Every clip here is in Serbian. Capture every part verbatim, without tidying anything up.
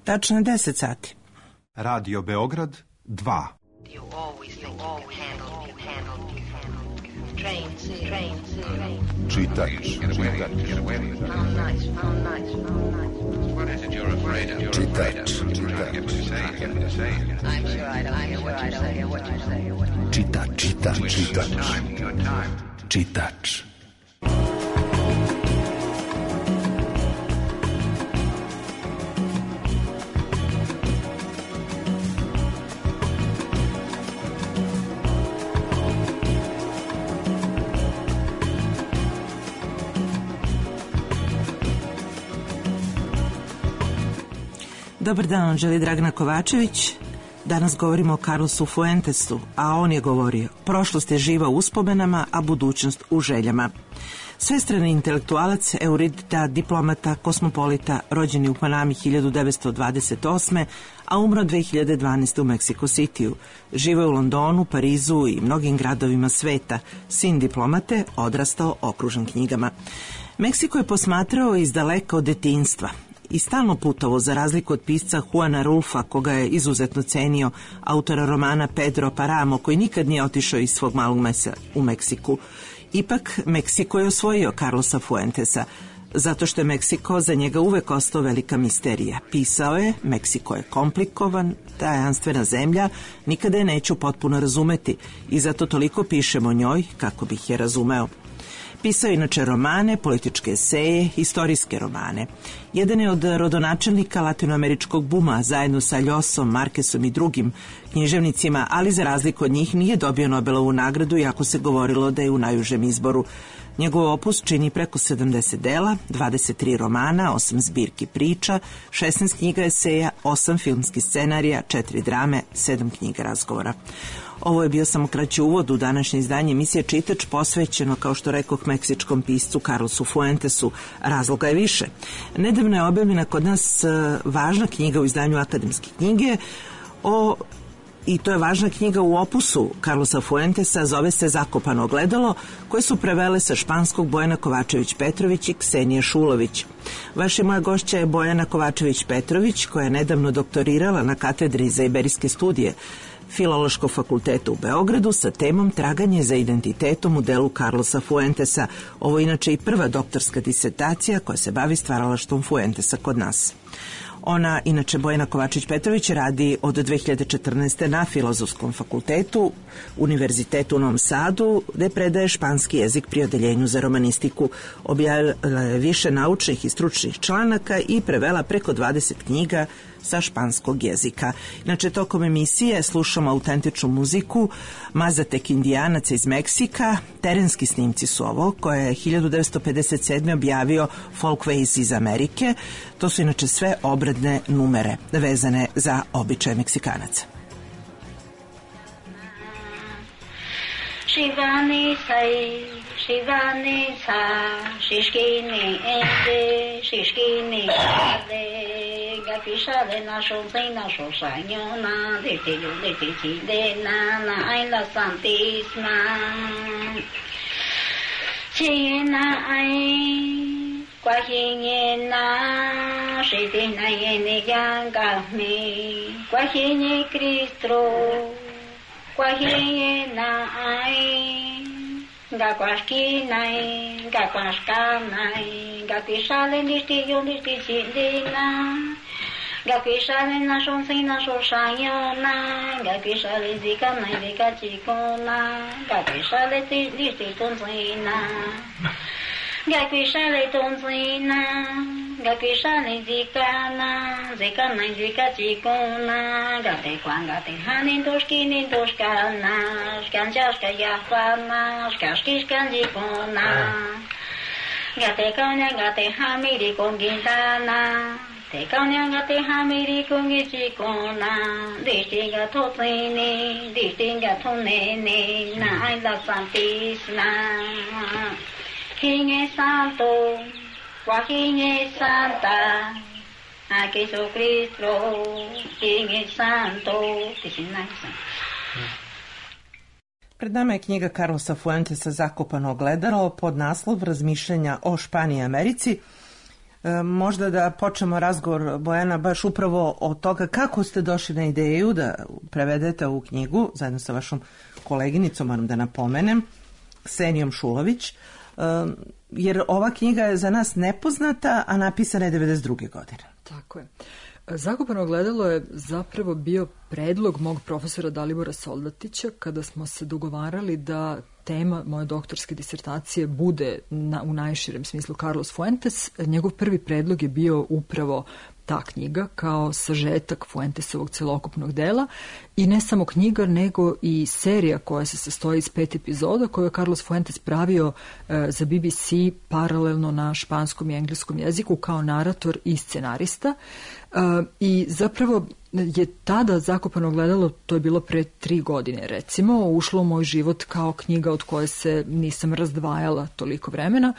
Tačno je deset sati. Radio Beograd dva. You always think you can handle, you handle, you handle. Trains, trains, trains. Čitač, čitač. How nice, how nice, how nice. What is it you're afraid of? Čitač, čitač. I'm sure I don't hear what you say, what you say, what you say. Čitač, čitač, čitač. Čitač. Dobar dan, želi Dragana Kovačević. Danas govorimo o Carlosu Fuentesu, a on je govorio: prošlost je živa u uspomenama, a budućnost u željama. Svestrani intelektualac, eurudita, diplomata, kosmopolita, rođen je u Panami hiljadu devetsto dvadeset osme. a umro dve hiljade dvanaeste. u Mexico Cityu. Živo je u Londonu, Parizu i mnogim gradovima sveta. Sin diplomate, odrastao okružen knjigama. Meksiko je posmatrao iz daleka od detinjstva i stalno putovo, za razliku od pisca Juana Rulfa, koga je izuzetno cenio, autora romana Pedro Paramo, koji nikad nije otišao iz svog malog mesta u Meksiku. Ipak, Meksiko je osvojio Carlosa Fuentesa, zato što je Meksiko za njega uvek ostao velika misterija. Pisao je: Meksiko je komplikovan, tajanstvena zemlja, nikada je neću potpuno razumeti i zato toliko pišem o njoj kako bih je razumeo. Pisao je inače romane, političke eseje, istorijske romane. Jedan je od rodonačelnika latinoameričkog buma, zajedno sa Ljosom, Markesom i drugim književnicima, ali za razliku od njih nije dobio Nobelovu nagradu, iako se govorilo da je u najužem izboru. Njegov opus čini preko sedamdeset dela, dvadeset tri romana, osam zbirki priča, šesnaest knjiga eseja, osam filmskih scenarija, četiri drame, sedam knjiga razgovora. Ovo je bio samo kraći uvod u današnje izdanje emisije Čitač, posvećeno, kao što rekoh, meksičkom piscu Carlosu Fuentesu. Razloga je više. Nedavno je objavljena kod nas važna knjiga u izdanju Akademske knjige o I to je važna knjiga u opusu Carlosa Fuentesa, zove se Zakopano ogledalo, koje su prevele sa španskog Bojana Kovačević-Petrović i Ksenija Šulović. Vaša moja gošća je Bojana Kovačević-Petrović, koja je nedavno doktorirala na katedri za iberijske studije Filološkog fakulteta u Beogradu sa temom Traganje za identitetom u delu Carlosa Fuentesa. Ovo je inače i prva doktorska disertacija koja se bavi stvaralaštvom Fuentesa kod nas. Ona, inače Bojana Kovačević-Petrović, radi od dve hiljade četrnaeste. na Filozofskom fakultetu Univerzitetu u Novom Sadu, gde predaje španski jezik pri odeljenju za romanistiku. Objavila je više naučnih i stručnih članaka i prevela preko dvadeset knjiga sa španskog jezika. Inače, tokom emisije slušamo autentičnu muziku Mazatek Indijanaca iz Meksika. Terenski snimci su ovo, koje je hiljadu devetsto pedeset sedme. objavio Folkways iz Amerike. To su inače sve obredne numere vezane za običaje Meksikanaca. Shivani sai, Shivani sa, Shishkini ende, Shishkini ende, Gapishale na shonzai na shoshanyona, Dete yo dete chidena, na ay la santisma, China ay, Guajinena, Shidina yene yangami, Guajine Cristro, Guajina ay, Gaguasquinay, Gaguascanay, Gaguishale nistillo nistichindina, Gaguishale na shonsina shoshayona, Gaguishale zikanay zikachikona, Gaguishale nistitonzina, Gaguishale tonzina, Gaguishale zikana, Zikanay zikachikona, Gatequan gatehanin toshkinin toshkana, Shkanchashka yahpana, Shkashkishkan jikona, Gatekanya gatehamiri con gintana, Tekanya gatehamiri con gichikona, Dishtinga totzini, Dishtinga tonene, Na ay la santisna, King es santo, Joaquín es santa, a Jesucristo, King es santo, Pred nama je knjiga Carlosa Fuentesa Zakopano ogledalo pod naslov Razmišljanja o Španiji i Americi. E, možda da počnemo razgovor, Bojana, baš upravo od toga kako ste došli na ideju da prevedete ovu knjigu zajedno sa vašom koleginicom, moram da napomenem, Ksenijom Šulović, e, jer ova knjiga je za nas nepoznata, a napisana je devedeset druge godine. Tako je. Zakopano ogledalo je zapravo bio predlog mog profesora Dalibora Soldatića kada smo se dogovarali da tema moje doktorske disertacije bude na, u najširem smislu Carlos Fuentes. Njegov prvi predlog je bio upravo ta knjiga kao sažetak Fuentesovog celokupnog dela i ne samo knjiga nego i serija koja se sastoji iz pet epizoda koju je Carlos Fuentes pravio e, za B B C paralelno na španskom i engleskom jeziku kao narator i scenarista. E, I zapravo je tada Zakopano ogledalo, to je bilo pre tri godine recimo, ušlo u moj život kao knjiga od koje se nisam razdvajala toliko vremena.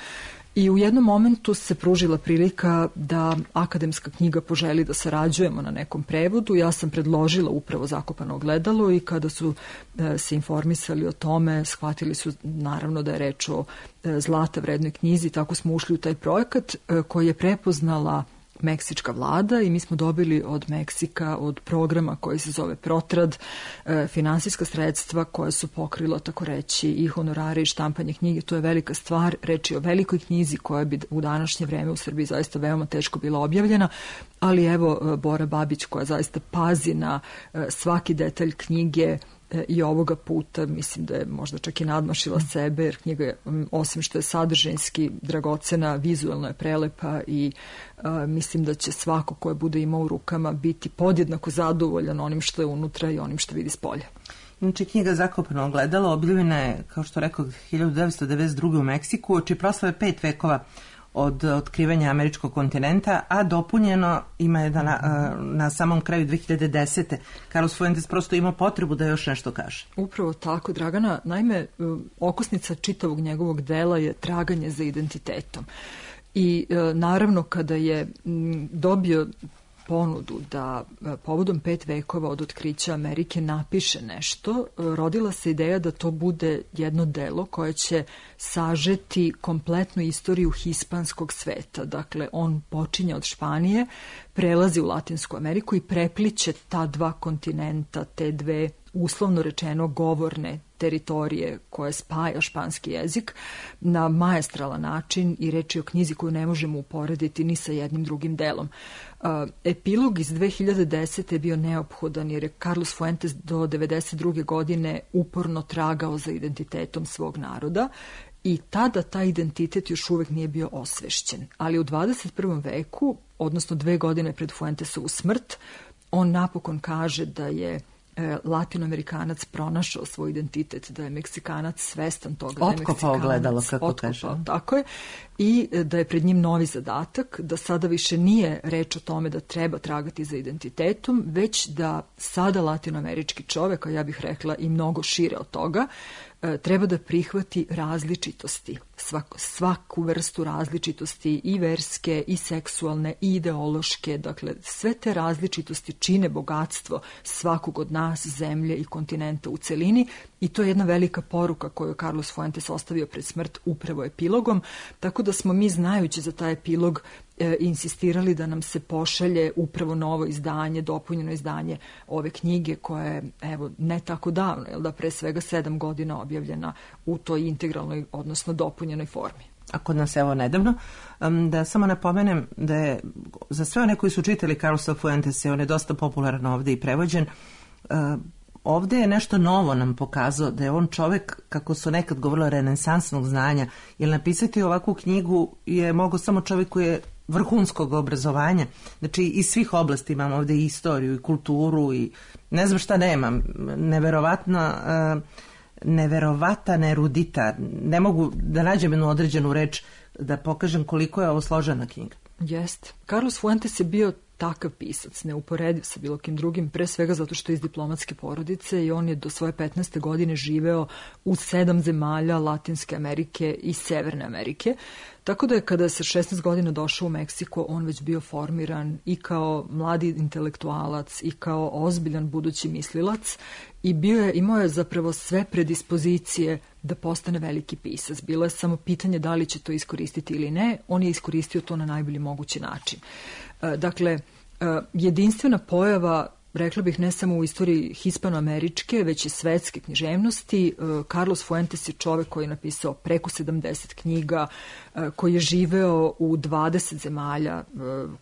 I u jednom momentu se pružila prilika da akademska knjiga poželi da sarađujemo na nekom prevodu. Ja sam predložila upravo Zakopano ogledalo i kada su e, se informisali o tome, shvatili su naravno da je reč o e, zlata vrednoj knjizi. Tako smo ušli u taj projekat e, koji je prepoznala meksička vlada i mi smo dobili od Meksika, od programa koji se zove Protrad, e, finansijska sredstva koja su pokrila, tako reći, i honorare i štampanje knjige. To je velika stvar, reč je o velikoj knjizi koja bi u današnje vreme u Srbiji zaista veoma teško bila objavljena, ali evo Bora Babić koja zaista pazi na e, svaki detalj knjige i ovoga puta mislim da je možda čak i nadmašila sebe, jer knjiga je, osim što je sadržajski dragocena, vizualno je prelepa i a, mislim da će svako koje bude imao u rukama biti podjednako zadovoljan onim što je unutra i onim što vidi s polja. Inače, knjiga Zakopano ogledalo objavljena je, kao što rekao, hiljadu devetsto devedeset druge. u Meksiku, čiji proslave pet vekova od otkrivanja američkog kontinenta, a dopunjeno ima je da na, na samom kraju dve hiljade desete. Carlos Fuentes prosto ima potrebu da još nešto kaže. Upravo tako, Dragana. Naime, okosnica čitavog njegovog dela je traganje za identitetom. I naravno kada je dobio ponudu da povodom pet vekova od otkrića Amerike napiše nešto, rodila se ideja da to bude jedno delo koje će sažeti kompletnu istoriju hispanskog sveta. Dakle, on počinje od Španije, prelazi u Latinsku Ameriku i prepliće ta dva kontinenta, te dve uslovno rečeno govorne teritorije koje spaja španski jezik na maestralan način i reč je o knjizi koju ne možemo uporediti ni sa jednim drugim delom. Epilog iz dve hiljade desete. je bio neophodan jer je Carlos Fuentes do devedeset druge. godine uporno tragao za identitetom svog naroda i tada taj identitet još uvek nije bio osvešćen. Ali u dvadeset prvom veku, odnosno dve godine pred Fuentesovu smrt, on napokon kaže da je Latinoamerikanac pronašao svoj identitet, da je Meksikanac svestan toga da je Meksikanac. Otkopao ogledalo, kako kaže. Tako je. I da je pred njim novi zadatak, da sada više nije reč o tome da treba tragati za identitetom, već da sada latinoamerički čovek, a ja bih rekla i mnogo šire od toga, treba da prihvati različitosti, svaku, svaku vrstu različitosti i verske, i seksualne, i ideološke. Dakle, sve te različitosti čine bogatstvo svakog od nas, zemlje i kontinenta u celini i to je jedna velika poruka koju je Carlos Fuentes ostavio pred smrt upravo epilogom, tako da smo mi, znajući za taj epilog, e, insistirali da nam se pošalje upravo novo izdanje, dopunjeno izdanje ove knjige koja je, evo, ne tako davno, jel da, pre svega sedam godina objavljena u toj integralnoj, odnosno dopunjenoj formi. A kod nas evo nedavno, da samo napomenem da je za sve one koji su čitali Carlosa Fuentesa, on je dosta popularan ovde i prevođen, ovde je nešto novo nam pokazao, da je on čovek, kako su nekad govorilo, renesansnog znanja, jer napisati ovakvu knjigu je mogao samo čovek koji je vrhunskog obrazovanja, znači iz svih oblasti imam ovde i istoriju i kulturu i ne znam šta nemam, neverovatno, neverovatan erudita, ne mogu da nađem jednu određenu reč da pokažem koliko je ovo složena knjiga. Jest. Carlos Fuentes je bio takav pisac, neuporediv sa bilo kim drugim, pre svega zato što je iz diplomatske porodice i on je do svoje petnaeste godine živeo u sedam zemalja Latinske Amerike i Severne Amerike, Tako da je kada je sa šesnaest godina došao u Meksiko, on već bio formiran i kao mladi intelektualac i kao ozbiljan budući mislilac i bio je, imao je zapravo sve predispozicije da postane veliki pisac. Bilo je samo pitanje da li će to iskoristiti ili ne. On je iskoristio to na najbolji mogući način. Dakle, jedinstvena pojava, rekla bih, ne samo u istoriji hispanoameričke, već i svetske književnosti. Carlos Fuentes je čovek koji je napisao preko sedamdeset knjiga, koji je živeo u dvadeset zemalja,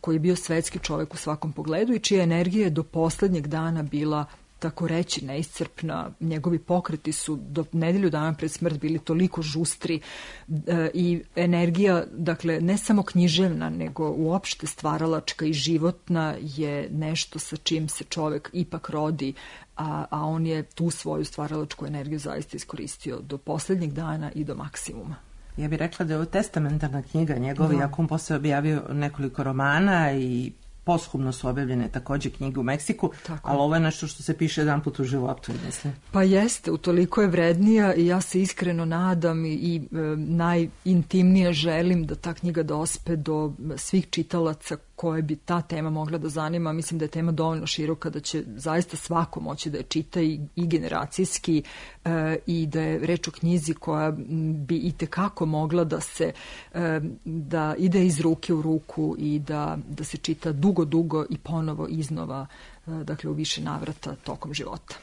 koji je bio svetski čovek u svakom pogledu i čija energija je do poslednjeg dana bila tako reći neiscrpna. Njegovi pokreti su do nedelju dana pred smrt bili toliko žustri e, i energija, dakle, ne samo književna, nego uopšte stvaralačka i životna je nešto sa čim se čovek ipak rodi, a, a on je tu svoju stvaralačku energiju zaista iskoristio do poslednjeg dana i do maksimuma. Ja bih rekla da je ovo testamentarna knjiga njegova, Da. iako on posle objavio nekoliko romana i posthumno su objavljene takođe knjige u Meksiku, Tako. ali ovo je nešto što se piše jedan put u životu, mislim. Pa jeste, utoliko je vrednija i ja se iskreno nadam i, i e, najintimnije želim da ta knjiga dospe do svih čitalaca koje bi ta tema mogla da zanima. Mislim da je tema dovoljno široka da će zaista svako moći da je čita i, i generacijski e, i da je reč o knjizi koja bi i tekako mogla da se e, da ide iz ruke u ruku i da, da se čita dugo, dugo i ponovo iznova, e, dakle u više navrata tokom života.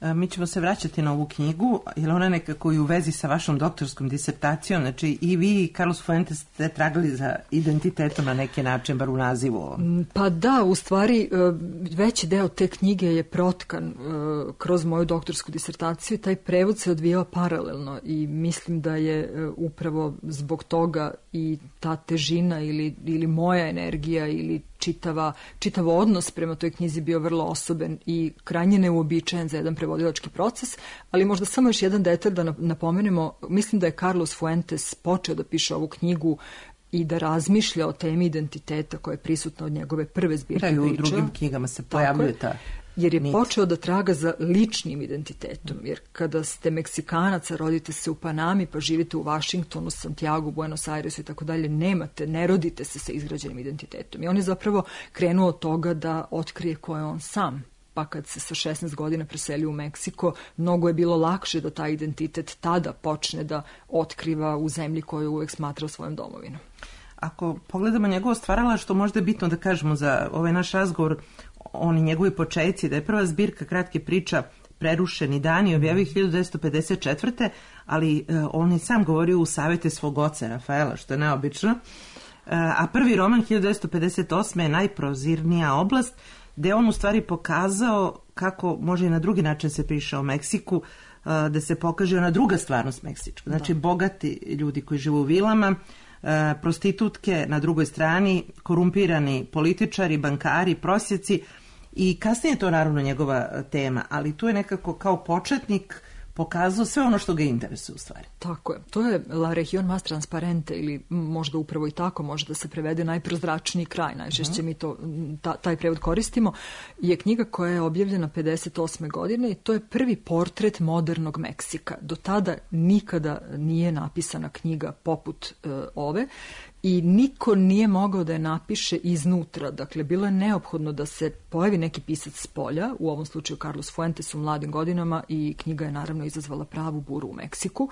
Mi ćemo se vraćati na ovu knjigu, jer ona nekako i u vezi sa vašom doktorskom disertacijom, znači i vi i Carlos Fuentes ste tragali za identitetom na neki način, bar u nazivu. Pa da, u stvari veći deo te knjige je protkan kroz moju doktorsku disertaciju i taj prevod se odvijao paralelno i mislim da je upravo zbog toga i ta težina ili, ili moja energija ili čitava, čitav odnos prema toj knjizi bio vrlo osoben i krajnje neuobičajen za jedan prevodilački proces, ali možda samo još jedan detalj da napomenemo. Mislim da je Carlos Fuentes počeo da piše ovu knjigu i da razmišlja o temi identiteta koja je prisutna od njegove prve zbirke priča. Da, i u priča. drugim knjigama se pojavljuje ta jer je nit. počeo da traga za ličnim identitetom, jer kada ste Meksikanac, a rodite se u Panami, pa živite u Vašingtonu, Santiago, Buenos Airesu i tako dalje, nemate, ne rodite se sa izgrađenim identitetom. I on je zapravo krenuo od toga da otkrije ko je on sam. Pa kad se sa šesnaest godina preselio u Meksiko, mnogo je bilo lakše da taj identitet tada počne da otkriva u zemlji koju uvek smatrao svojom domovinom. Ako pogledamo njegovo stvaralaštvo, možda je bitno da kažemo za ovaj naš razgovor, oni njegovi početci, da je prva zbirka kratke priča Prerušeni dani objavio hiljadu devetsto pedeset četvrte. ali e, on je sam govorio u savete svog oca Rafaela, što je neobično. E, a prvi roman hiljadu devetsto pedeset osme je Najprozirnija oblast, gde on u stvari pokazao kako može i na drugi način se piše o Meksiku, e, da se pokaže ona druga stvarnost meksička. Znači, da. Bogati ljudi koji žive u vilama, e, prostitutke na drugoj strani, korumpirani političari, bankari, prosjeci. I kasnije je to naravno njegova tema, ali tu je nekako kao početnik pokazao sve ono što ga interesuje u stvari. Tako je. To je La Región Más Transparente ili možda upravo i tako može da se prevede najprozračniji kraj. Najčešće uh-huh. mi to, ta, taj prevod koristimo. Je knjiga koja je objavljena pedeset osme godine i to je prvi portret modernog Meksika. Do tada nikada nije napisana knjiga poput uh, ove. I niko nije mogao da je napiše iznutra. Dakle, bilo je neophodno da se pojavi neki pisac s polja, u ovom slučaju Carlos Fuentes u mladim godinama, i knjiga je naravno izazvala pravu buru u Meksiku.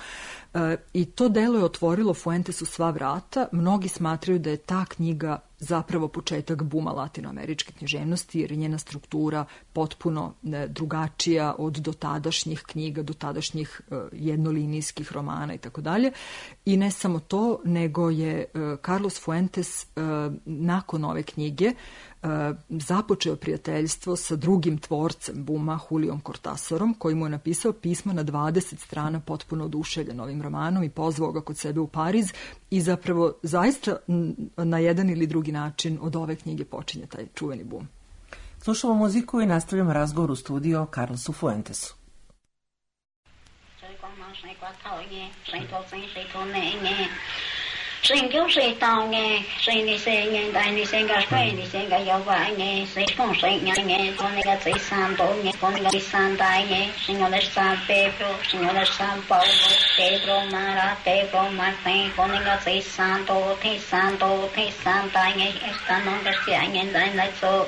E, I to delo je otvorilo Fuentesu sva vrata. Mnogi smatraju da je ta knjiga zapravo početak buma latinoameričke književnosti, jer je njena struktura potpuno ne, drugačija od dotadašnjih knjiga, dotadašnjih e, jednolinijskih romana i tako dalje. I ne samo to, nego je e, Carlos Fuentes e, nakon ove knjige e, započeo prijateljstvo sa drugim tvorcem buma, Juliom Cortasarom, koji mu je napisao pismo na dvadeset strana potpuno oduševljen ovim romanom i pozvao ga kod sebe u Pariz i zapravo zaista na jedan ili drugi način od ove knjige počinje taj čuveni bum. Slušamo muziku i nastavljamo razgovor u studiju o Carlosu Fuentesu. Sinh kiêu sĩ tao nghe, sinh đi xe nghe, đại đi xe gà quay đi xe gà yêu vãi nghe, sinh không sinh nghe nghe, con này gà sĩ san tổ nghe, con này gà sĩ san đại nghe, sinh ngô lệch san Pedro, sinh ngô lệch san Paulo, Pedro Mara, Pedro Martin, con này gà sĩ san tổ, thi san tổ, thi san đại nghe, san non gà sĩ nghe đại đại số.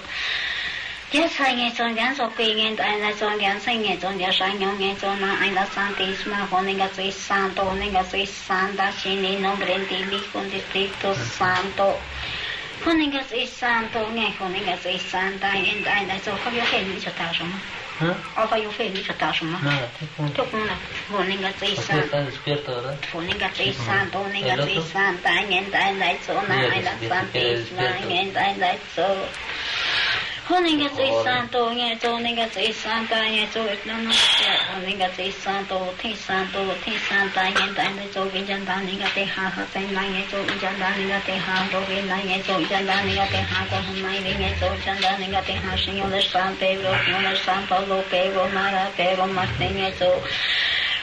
Yes, I get on gas of being and I on gas, I get on gas, I know get on I la Santisma, Honinga Santo, Honinga Santa, Shini, no Brentili, con Distrito Santo. Honinga Santo, Honinga Santa, and I so have your hand which attachment. Offer your face which attachment. Took one. Honinga Santo, Honinga Santo, Honinga Santa, and I like so now I la Santisma, and I like so. Honinga Santo, nghe cho Honinga Santa, nghe cho nó nó Honinga Santo, thi Santo, thi Santa, nghe tại đây cho viên dân ta Honinga te ha ha sen lại nghe cho viên dân ta Honinga te ha rồi viên lại nghe cho viên dân ta Honinga te ha còn hôm nay nghe cho viên dân ta Honinga te ha sinh nhật San Pedro, nhật San Paulo, Pedro Mara, Pedro Martin nghe cho.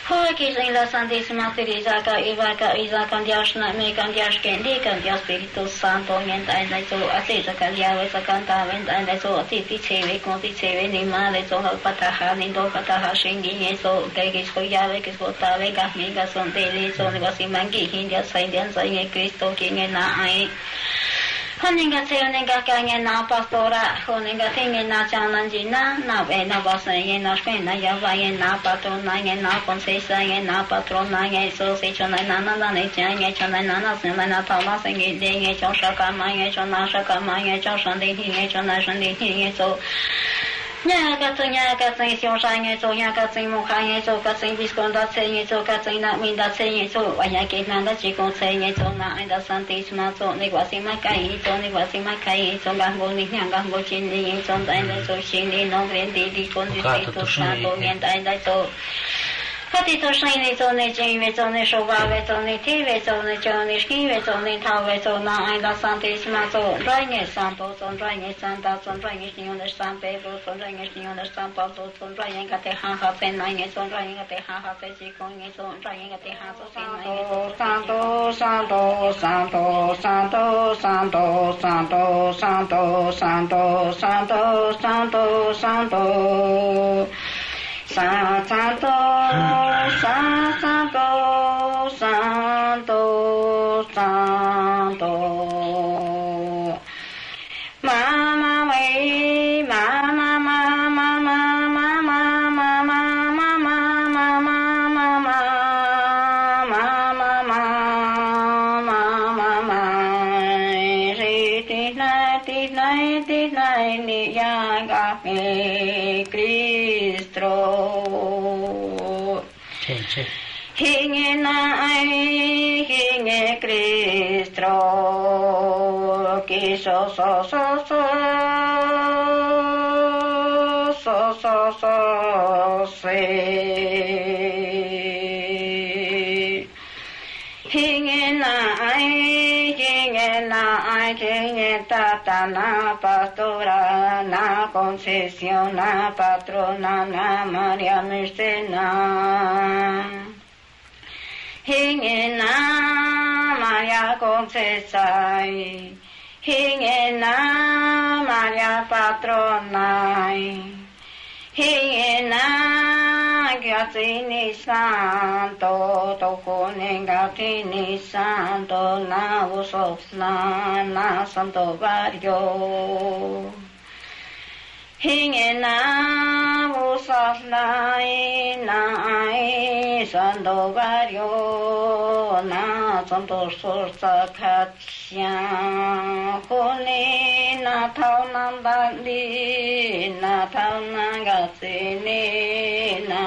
Hoy que en la Santísima Teresa ca Eva ca Isa con Dios na me con Dios que indica Dios Espíritu Santo en ta en eso así sa calia esa canta en ta en eso así ti cheve con ti cheve ni madre so pataha ni do pataha shingi eso que que soy ya ve que so ta ve ga mi ga son de le so ne si mangi hindia sai dian sai en Cristo que en na ai. Honinga se honinga kanya na pastora, honinga tinga na chanan na na ve na basa ye na shkena ya va ye na patrona ye na concesa ye na patrona ye so se chona na na na ne cha ye chona na na se na ta ma se ye de ye cho shaka ma ye chona shaka ma ye cho shan de ye chona shan de ye so. Nhà các sinh nhà các sinh siêu sai nhà số nhà các sinh một hai nhà số các sinh biscon đã xây nhà số các sinh nạp minh đã xây nhà số và nhà kết nạp đã chỉ còn xây nhà số nạp anh đã Santisma số này quá sinh mắc cái số này quá sinh mắc cái số gang vô này nhà gang vô chín này số anh đã số chín này nó lên đi đi con đi đi số sang số nhà anh đã số. Các tỷ số sinh này số này chính về số này số ba về số này thi về số này cho này ký về số này thao về số nào anh đã Santisma số rồi nghe Santo số rồi nghe Santa số rồi nghe Señor de San Pedro số rồi nghe Señor de San Paulo số rồi nghe cái thế ha ha tên này nghe số rồi nghe thế ha ha tên chỉ con nghe số rồi nghe cái thế ha số tên này nghe Santo Santo Santo Santo Santo Santo Santo Santo Santo Santo Santo Sa Santo, Sa Santo, Santo, Santo. Mama me, mama, mama, mama, mama, mama, mama, mama, mama, mama, mama, mama. Ti nai, ti nai, ti nai, ni ya ga me Cristo. Hinge nai, hinge Cristo, que so so so so so so so se. Hinge nai, hinge nai, hinge tata na pastora na concesión na patrona na María Mercena. Hinge na María Concesa, hinge na María Patrona, hinge na Gatini Santo, tocone Gatini Santo, na vosotros na Santo Barrio. Hinge na vosotros na Santo Barrio, na Santo Sorsa Katsya, Hone na Tau Nandali, na Tau Nangasini, na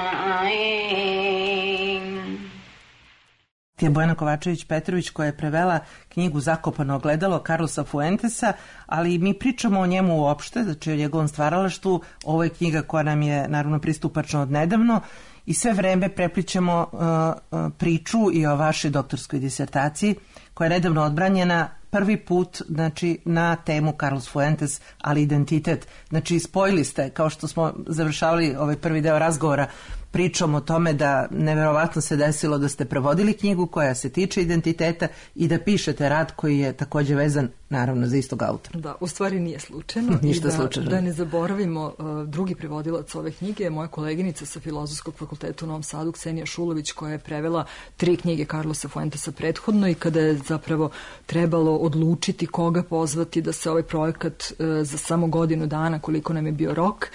je Bojana Kovačević-Petrović koja je prevela knjigu Zakopano ogledalo Carlosa Fuentesa, ali mi pričamo o njemu uopšte, znači o njegovom stvaralaštvu. Ovo je knjiga koja nam je naravno pristupačna od nedavno i sve vreme preplićemo uh, uh, priču i o vašoj doktorskoj disertaciji koja je nedavno odbranjena prvi put, znači, na temu Carlos Fuentes, ali identitet. Znači, spojili ste, kao što smo završavali ovaj prvi deo razgovora, pričom o tome da neverovatno se desilo da ste prevodili knjigu koja se tiče identiteta i da pišete rad koji je također vezan naravno za istog autora. Da, u stvari nije slučajno. Ništa I da, slučajno. Da ne zaboravimo, uh, drugi prevodilac ove knjige je moja koleginica sa Filozofskog fakulteta u Novom Sadu, Ksenija Šulović, koja je prevela tri knjige Carlosa Fuentesa prethodno i kada je zapravo trebalo odlučiti koga pozvati da se ovaj projekat uh, za samo godinu dana, koliko nam je bio rok,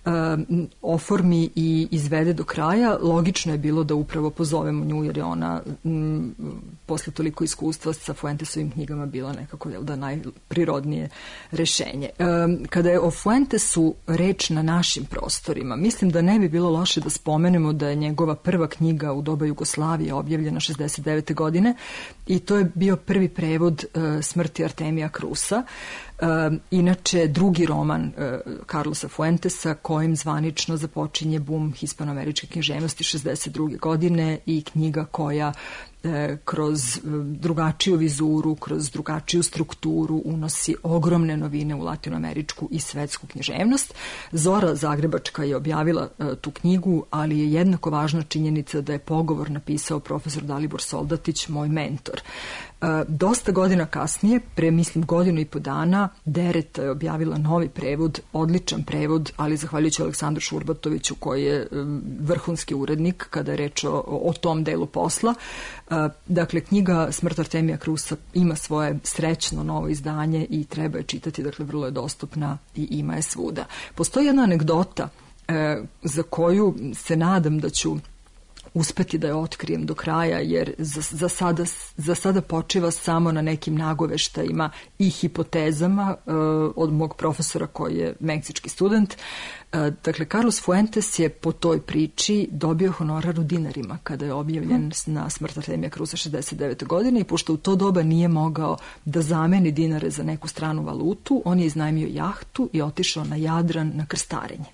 uh, oformi i izvede do kraja, logično je bilo da upravo pozovemo nju, jer je ona m, posle toliko iskustva sa Fuentesovim knjigama bila nekako, jel da, najprirodnije rešenje. E, kada je o Fuentesu reč na našim prostorima, mislim da ne bi bilo loše da spomenemo da je njegova prva knjiga u doba Jugoslavije objavljena šezdeset devete godine i to je bio prvi prevod e, Smrti Artemija Krusa. E, inače, drugi roman e, Carlosa Fuentesa, kojim zvanično započinje bum hispanoameričke književnosti šezdeset druge godine i knjiga koja e, kroz e, drugačiju vizuru, kroz drugačiju strukturu unosi ogromne novine u latinoameričku i svetsku književnost. Zora Zagrebačka je objavila e, tu knjigu, ali je jednako važna činjenica da je pogovor napisao profesor Dalibor Soldatić, moj mentor. E, dosta godina kasnije, pre mislim godinu i po dana, Dereta je objavila novi prevod, odličan prevod, ali zahvaljujući Aleksandru Šurbatoviću koji je um, vrhunski urednik kada je reč o, o tom delu posla. Uh, dakle, knjiga Smrt Artemija Krusa ima svoje srećno novo izdanje i treba je čitati, dakle vrlo je dostupna i ima je svuda. Postoji jedna anegdota uh, za koju se nadam da ću uspeti da je otkrijem do kraja, jer za, za, sada, za sada počiva samo na nekim nagoveštajima i hipotezama uh, od mog profesora koji je meksički student. Uh, dakle, Carlos Fuentes je po toj priči dobio honorar u dinarima kada je objavljen hmm. na Smrt Artemija Krusa šezdeset devete godine i pošto u to doba nije mogao da zameni dinare za neku stranu valutu, on je iznajmio jahtu i otišao na Jadran na krstarenje.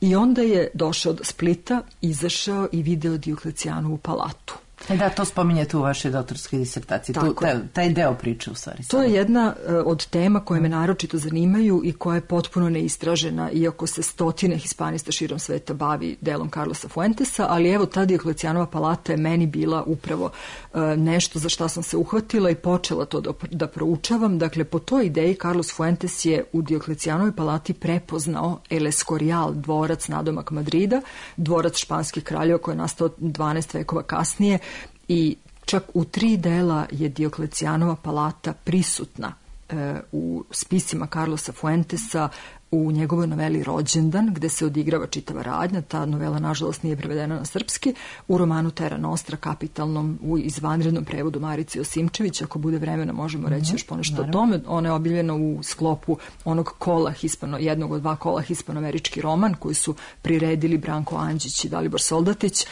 I onda je došao do Splita, izašao i video Dioklecijanovu palatu. E da, to spominjete u vašoj doktorskoj disertaciji. Tu, taj, taj deo priče u stvari. To je jedna uh, od tema koje me naročito zanimaju i koja je potpuno neistražena, iako se stotine hispanista širom sveta bavi delom Carlosa Fuentesa, ali evo ta Dioklecijanova palata je meni bila upravo uh, nešto za šta sam se uhvatila i počela to da, da proučavam. Dakle, po toj ideji Carlos Fuentes je u Dioklecijanovoj palati prepoznao El Escorial, dvorac nadomak Madrida, dvorac španskih kraljeva koji je nastao dvanaest vekova kasnije, i čak u tri dela je Dioklecijanova palata prisutna e, u spisima Carlosa Fuentesa, u njegovoj noveli Rođendan, gde se odigrava čitava radnja. Ta novela, nažalost, nije prevedena na srpski. U romanu Terra Nostra, kapitalnom, u izvanrednom prevodu Marice Josimčević, ako bude vremena možemo reći mm-hmm. još ponešto o tome. Ona je objavljena u sklopu onog kola hispano, jednog od dva kola hispanoamerički roman, koji su priredili Branko Anđić i Dalibor Soldatić.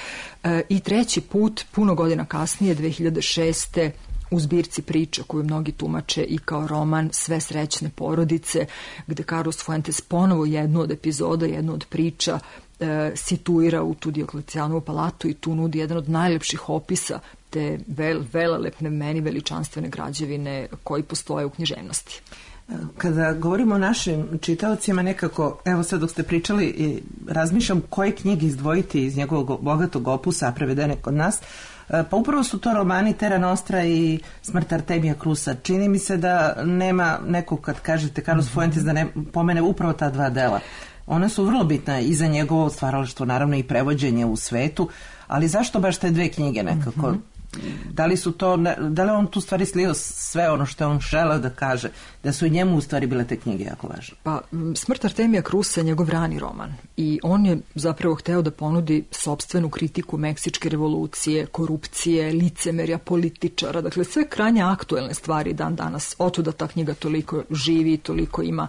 E, I treći put, puno godina kasnije, dve hiljade šeste. u zbirci priča koju mnogi tumače i kao roman Sve srećne porodice, gde Carlos Fuentes ponovo jednu od epizoda, jednu od priča e, situira u tu Dioklecijanovu palatu i tu nudi jedan od najlepših opisa te vel, velelepne, meni veličanstvene građevine koji postoje u književnosti. Kada govorimo o našim čitaocima, nekako, evo sad dok ste pričali, razmišljam koje knjige izdvojiti iz njegovog bogatog opusa, prevedene kod nas. Pa upravo su to romani Terra Nostra i Smrt Artemija Krusa. Čini mi se da nema nekog, kad kažete Carlos Fuentes, da ne pomene upravo ta dva dela. One su vrlo bitne i za njegovo stvaralaštvo, naravno i prevođenje u svetu, ali zašto baš te dve knjige nekako? Mm-hmm. Da li su to, da li on tu stvari slio sve ono što on želeo da kaže, da su i njemu u stvari bile te knjige jako važne? Pa, Smrt Artemija Krusa je njegov rani roman i on je zapravo hteo da ponudi sopstvenu kritiku meksičke revolucije, korupcije, licemerja, političara, dakle sve krajnje aktuelne stvari dan danas. Otuda ta knjiga toliko živi, toliko ima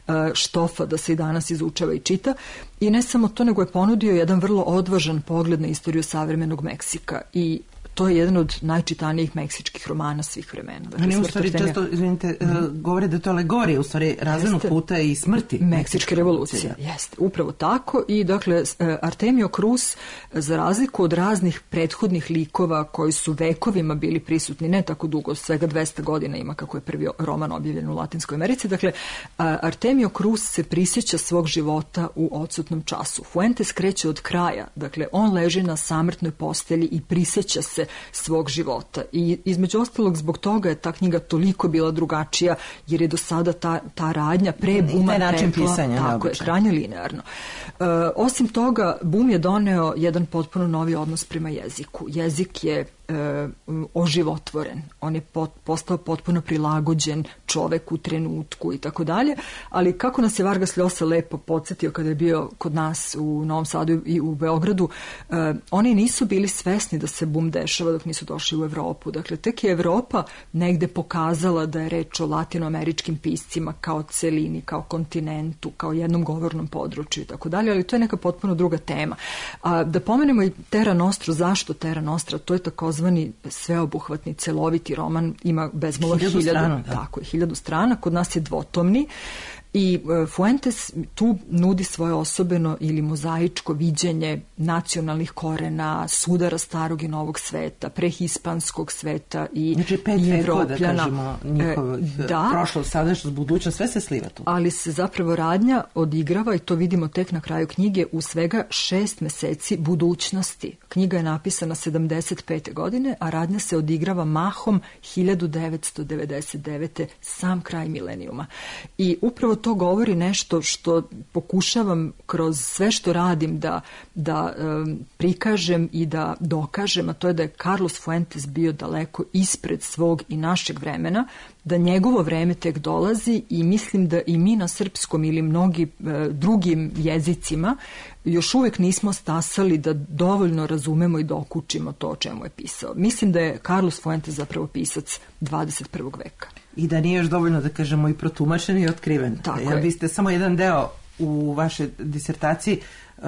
uh, štofa da se i danas izučava i čita. I ne samo to, nego je ponudio jedan vrlo odvažan pogled na istoriju savremenog Meksika i to je jedan od najčitanijih meksičkih romana svih vremena. Dakle, Oni u Smrt stvari Artemija- često, izvinite, mm-hmm. govore da je to alegorija, u stvari razrednog Jeste. puta i smrti. Meksičke revolucije, jeste, upravo tako. I dakle, Artemio Cruz, za razliku od raznih prethodnih likova koji su vekovima bili prisutni, ne tako dugo, svega dvesta godina ima kako je prvi roman objavljen u Latinskoj Americi, dakle, Artemio Cruz se prisjeća svog života u odsutnom času. Fuentes kreće od kraja, dakle, on leži na samrtnoj postelji i prisjeća se svog života. I između ostalog, zbog toga je ta knjiga toliko bila drugačija, jer je do sada ta, ta radnja pre Buma način tekla, pisanja, tako je, neobičan. krajnje linearno. E, osim toga, Bum je doneo jedan potpuno novi odnos prema jeziku. Jezik je e, oživotvoren, on je pot, postao potpuno prilagođen čovek u trenutku i tako dalje, ali kako nas je Vargas Llosa lepo podsjetio kada je bio kod nas u Novom Sadu i u Beogradu, e, oni nisu bili svesni da se Bum dešava dok nisu došli u Evropu. Dakle, tek je Evropa negde pokazala da je reč o latinoameričkim piscima kao celini, kao kontinentu, kao jednom govornom području i tako dalje, ali to je neka potpuno druga tema. A, da pomenemo i Terra Nostru, zašto Terra Nostra? To je takozvani sveobuhvatni, celoviti roman, ima bezmalo Hiljadu hiljadu, strana, da. tako je, hiljadu strana, kod nas je dvotomni. I e, Fuentes tu nudi svoje osobeno ili mozaičko viđenje nacionalnih korena, sudara starog i novog sveta, prehispanskog sveta i, Znači pet i vekova, da Evropljana. kažemo, njihovih E, da, prošlost, sadašnjost, budućnost, sve se sliva tu. ali se zapravo radnja odigrava, i to vidimo tek na kraju knjige, u svega šest meseci budućnosti. Knjiga je napisana sedamdeset pete godine, a radnja se odigrava mahom hiljadu devetsto devedeset devete, sam kraj milenijuma. I upravo to govori nešto što pokušavam kroz sve što radim da, da um, prikažem i da dokažem, a to je da je Carlos Fuentes bio daleko ispred svog i našeg vremena, da njegovo vreme tek dolazi i mislim da i mi na srpskom ili mnogi e, drugim jezicima još uvek nismo stasali da dovoljno razumemo i dokučimo to o čemu je pisao. Mislim da je Carlos Fuentes zapravo pisac dvadeset prvog veka. I da nije još dovoljno, da kažemo, i protumačen i otkriven. Tako Jer je. vi ste samo jedan deo u vašoj disertaciji uh,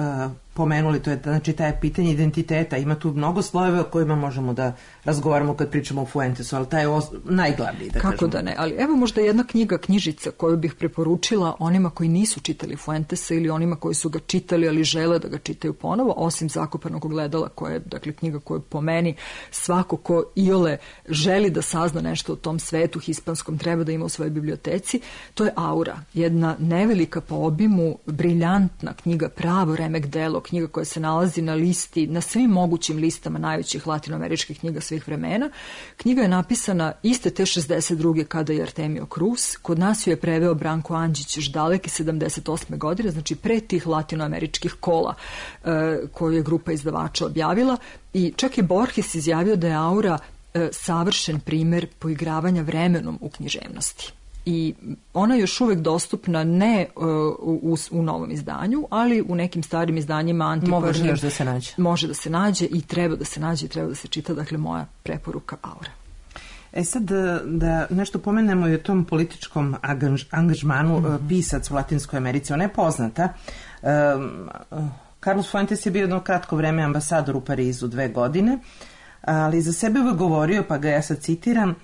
pomenuli, to je znači taj pitanje identiteta. Ima tu mnogo slojeva o kojima možemo da razgovaramo kad pričamo o Fuentesu, ali taj je os- najglavniji, da Kako kažemo. da ne, ali evo možda jedna knjiga, knjižica koju bih preporučila onima koji nisu čitali Fuentesa ili onima koji su ga čitali, ali žele da ga čitaju ponovo, osim Zakopanog ogledala, koja je, dakle, knjiga koju po meni svako ko iole želi da sazna nešto o tom svetu hispanskom treba da ima u svojoj biblioteci. To je Aura, jedna nevelika po obimu, briljantna knjiga, pravo remek delo, knjiga koja se nalazi na listi, na svim mogućim listama najvećih latinoameričkih knjiga svih vremena. Knjiga je napisana iste te šezdeset druge kada je Artemio Cruz. Kod nas ju je preveo Branko Andžić još daleke sedamdeset osme godine, znači pre tih latinoameričkih kola e, koju je grupa izdavača objavila. I čak je Borges izjavio da je Aura e, savršen primer poigravanja vremenom u književnosti. I ona je još uvek dostupna ne uh, u, u novom izdanju, ali u nekim starim izdanjima antikvarnim. Može još da se nađe. Može da se nađe i treba da se nađe i treba da se čita, dakle moja preporuka Aura. E sad da, da nešto pomenemo i o tom političkom angaž, angažmanu mm-hmm. pisac u Latinskoj Americi. Ona je poznata. Um, Carlos Fuentes je bio jedno kratko vreme ambasador u Parizu, dve godine, ali za sebe uvek govorio, pa ga ja sad citiram,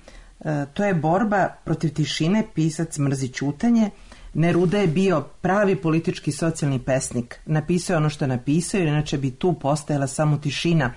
to je borba protiv tišine, pisac mrzi ćutanje. Neruda je bio pravi politički socijalni pesnik. Napisao je ono što je napisao, jer inače bi tu postajala samo tišina.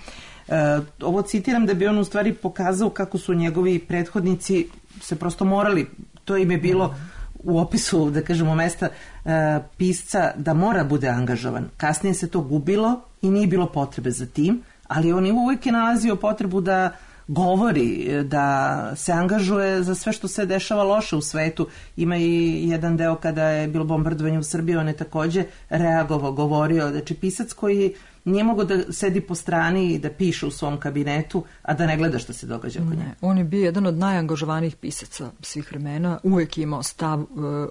E, ovo citiram da bi on u stvari pokazao kako su njegovi prethodnici se prosto morali, to im je bilo u opisu, da kažemo, mesta e, pisca da mora bude angažovan. Kasnije se to gubilo i nije bilo potrebe za tim, ali on je uvijek je nalazio potrebu da govori, da se angažuje za sve što se dešava loše u svetu. Ima i jedan deo kada je bilo bombardovanje u Srbiji, on je takođe reagovao, govorio, znači pisac koji nije mogao da sedi po strani i da piše u svom kabinetu, a da ne gleda što se događa oko njega. On je bio jedan od najangažovanijih pisaca svih vremena, uvek je imao stav,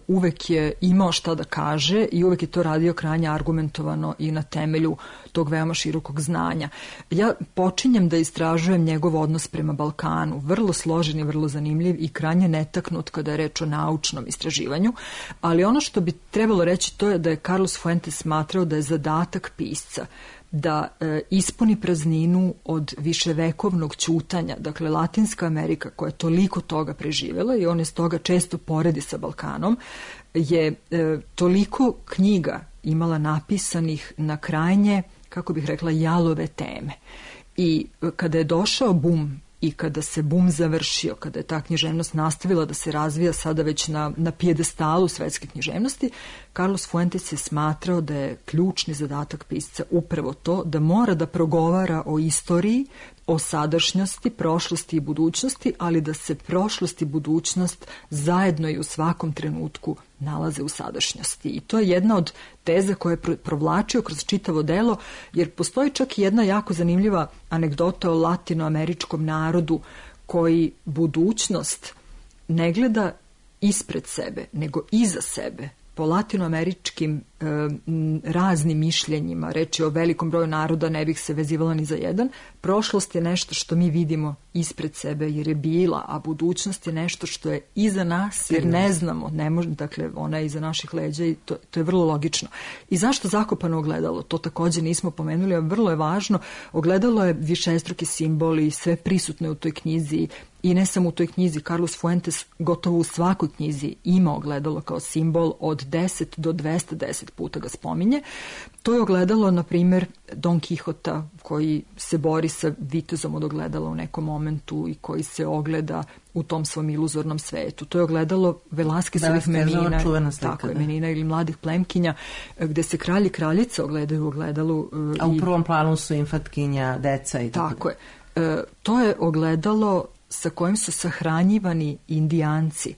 uvek je imao šta da kaže i uvek je to radio krajnje argumentovano i na temelju tog veoma širokog znanja. Ja počinjem da istražujem njegov odnos prema Balkanu, vrlo složen i vrlo zanimljiv i krajnje netaknut kada je reč o naučnom istraživanju, ali ono što bi trebalo reći to je da je Carlos Fuentes smatrao da je zadatak pisca da e, ispuni prazninu od viševekovnog ćutanja. Dakle, Latinska Amerika koja je toliko toga preživjela i on je stoga često poredi sa Balkanom, je e, toliko knjiga imala napisanih na krajnje, kako bih rekla, jalove teme. I e, kada je došao bum i kada se bum završio, kada je ta književnost nastavila da se razvija sada već na, na pijedestalu svetske književnosti, Carlos Fuentes je smatrao da je ključni zadatak pisca upravo to da mora da progovara o istoriji, o sadašnjosti, prošlosti i budućnosti, ali da se prošlost i budućnost zajedno i u svakom trenutku nalaze u sadašnjosti. I to je jedna od teza koja je provlačio kroz čitavo delo, jer postoji čak i jedna jako zanimljiva anegdota o latinoameričkom narodu koji budućnost ne gleda ispred sebe, nego iza sebe. Po latinoameričkim e, raznim mišljenjima, reći o velikom broju naroda, ne bih se vezivala ni za jedan, prošlost je nešto što mi vidimo ispred sebe jer je bila, a budućnost je nešto što je iza nas jer ne znamo, ne može, dakle ona je iza naših leđa i to, to je vrlo logično. I zašto zakopano ogledalo? To također nismo pomenuli, a vrlo je važno. Ogledalo je višestruki simbol i sve prisutno je u toj knjizi. I ne samo u toj knjizi, Carlos Fuentes gotovo u svakoj knjizi ima ogledalo kao simbol, od deset do dvesta deset puta ga spominje. To je ogledalo, na primjer, Don Quixota koji se bori sa vitezom od ogledala u nekom momentu i koji se ogleda u tom svom iluzornom svetu. To je ogledalo Velasquezovih Menina, tako je, Menina ili mladih plemkinja, gde se kralj i kraljica ogledaju u ogledalu. A u prvom planu su infatkinja, deca i tako. Tako je. E, to je ogledalo sa kojim su sahranjivani Indijanci,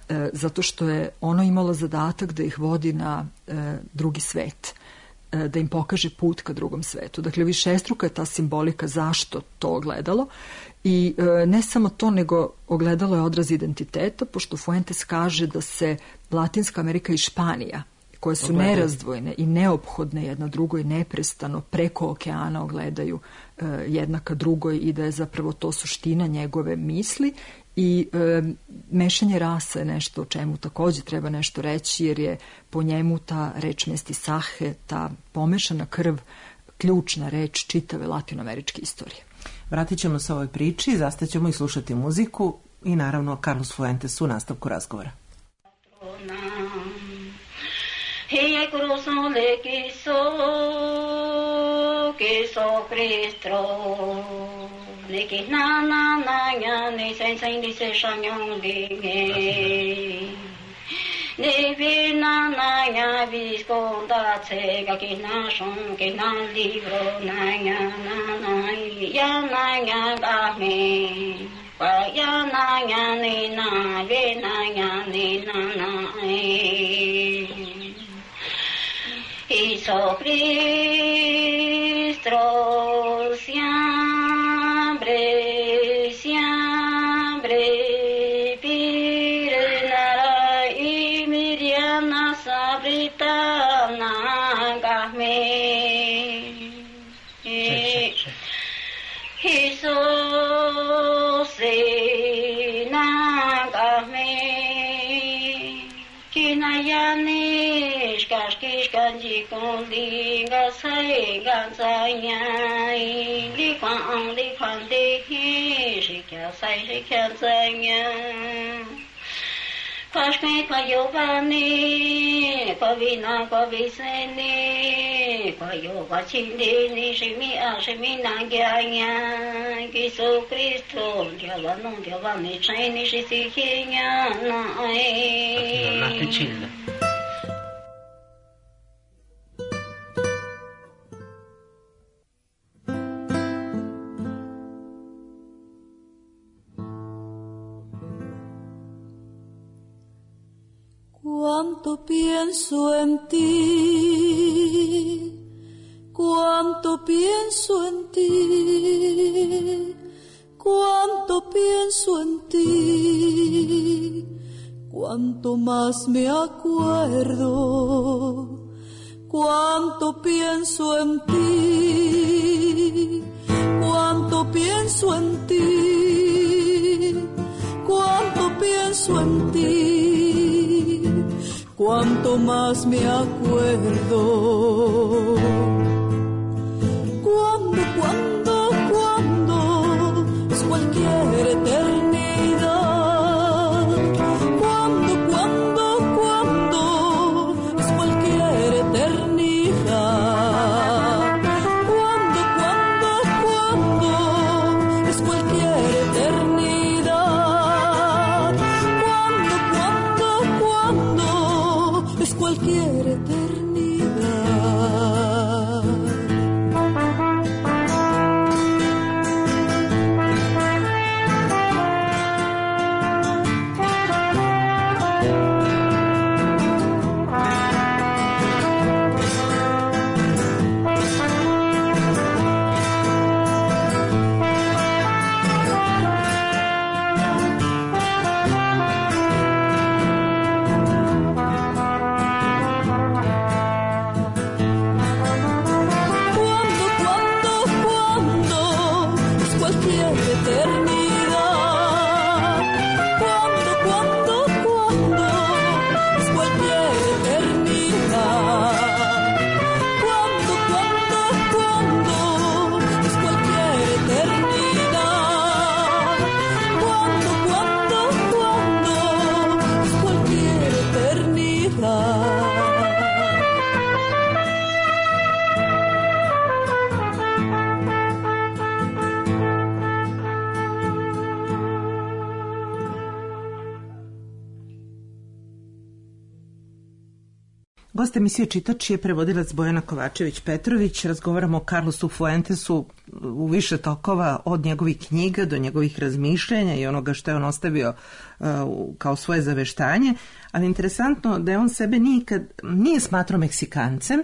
e, zato što je ono imalo zadatak da ih vodi na e, drugi svet, e, da im pokaže put ka drugom svetu. Dakle, višestruka je ta simbolika zašto to ogledalo. I e, ne samo to, nego ogledalo je odraz identiteta, pošto Fuentes kaže da se Latinska Amerika i Španija, koje su ogledaju, nerazdvojne i neophodne jedna drugoj, neprestano preko okeana ogledaju e, jedna ka drugoj i da je zapravo to suština njegove misli. I e, mešanje rasa je nešto o čemu također treba nešto reći, jer je po njemu ta reč mestisaje, ta pomešana krv, ključna reč čitave latinoameričke istorije. Vratit ćemo se ovoj priči, zastaćemo i slušati muziku i naravno Carlos Fuentes u nastavku razgovora. He cruzó le quiso, quiso Cristo. Ne que na na na ya ne sen sen di se shanyon di ne. Ne vi na na ya visconda se ga que na son que na libro na ya na na ya na ya ga me. Pa ya na ya ne na ve na ya ne na na. Hizo Cristo siempre, siempre pirenara y Miriana sabritana gahme. Hizo sena gahme, kinayani. Kaskish kanji kondi ga sai ga zai li kwan li kwan de hi shi kya sai shi kya zai Kashme kwa yovani kwa vina kwa viseni kwa yova chindi ni shimi a shimi na gyanya Kiso Kristo gyava non gyava ni chini shi si hinya na ai na pichilla. Cuánto pienso en ti, cuánto pienso en ti, cuánto pienso en ti, cuánto más me acuerdo, cuánto pienso en ti, cuánto pienso en ti, cuánto pienso en ti. Cuánto más me acuerdo, Gost emisije Čitač je prevodilac Bojana Kovačević-Petrović. Razgovaramo o Carlosu Fuentesu u više tokova, od njegovih knjiga do njegovih razmišljanja i onoga što je on ostavio uh, kao svoje zaveštanje. Ali interesantno da je on sebe nikad nije smatrao Meksikancem,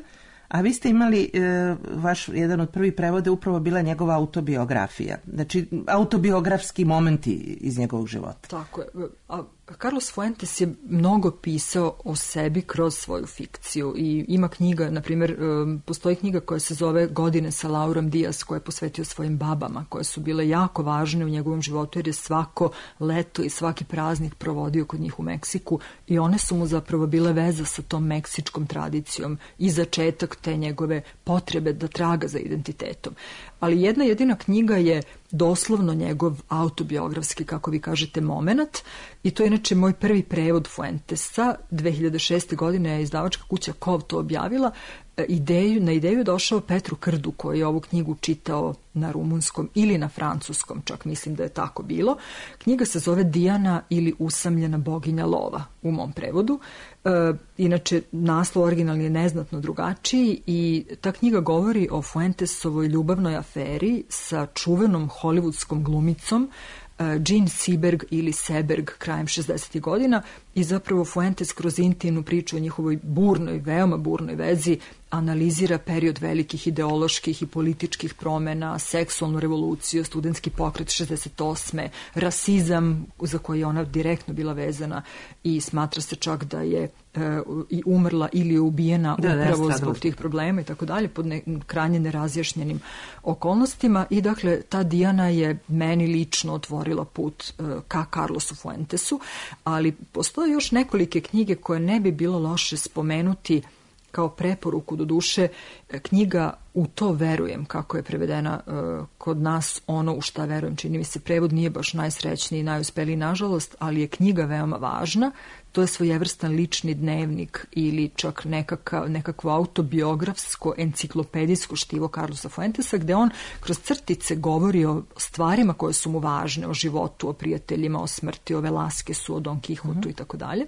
a vi ste imali, e, vaš jedan od prvih prevoda upravo bila njegova autobiografija. Znači, autobiografski momenti iz njegovog života. Tako je. A Carlos Fuentes je mnogo pisao o sebi kroz svoju fikciju i ima knjiga, na primjer, postoji knjiga koja se zove Godine sa Laurom Diaz, koja je posvetio svojim babama, koje su bile jako važne u njegovom životu jer je svako leto i svaki praznik provodio kod njih u Meksiku i one su mu zapravo bile veza sa tom meksičkom tradicijom i začetak te njegove potrebe da traga za identitetom. Ali jedna jedina knjiga je doslovno njegov autobiografski, kako vi kažete, momenat i to je inače moj prvi prevod Fuentesa. dve hiljade šeste. godine je izdavačka kuća Kov to objavila. Ideju, na ideju je došao Petru Krdu koji je ovu knjigu čitao na rumunskom ili na francuskom, čak mislim da je tako bilo. Knjiga se zove Dijana ili usamljena boginja lova u mom prevodu. E, inače, naslov originalni je neznatno drugačiji i ta knjiga govori o Fuentesovoj ljubavnoj aferi sa čuvenom hollywoodskom glumicom Jean Seberg ili Seberg krajem šezdesetih godina i zapravo Fuentes kroz intimnu priču o njihovoj burnoj, veoma burnoj vezi analizira period velikih ideoloških i političkih promjena, seksualnu revoluciju, studentski pokret šezdeset osme, rasizam za koji je ona direktno bila vezana i smatra se čak da je e, i umrla ili je ubijena da, upravo da, zbog tih problema i tako dalje, pod ne, krajnje nerazjašnjenim okolnostima i dakle ta Dijana je meni lično otvorila put e, ka Carlosu Fuentesu, ali postoje još nekolike knjige koje ne bi bilo loše spomenuti kao preporuku, do duše, knjiga U to verujem, kako je prevedena uh, kod nas, ono u šta verujem, čini mi se prevod nije baš najsrećniji i najuspeliji nažalost, ali je knjiga veoma važna. To je svojevrstan lični dnevnik ili čak nekaka, nekakvo autobiografsko, enciklopedijsko štivo Carlosa Fuentesa, gde on kroz crtice govori o stvarima koje su mu važne, o životu, o prijateljima, o smrti, o Velasquesu, o Don Quixotu mm-hmm. i tako dalje.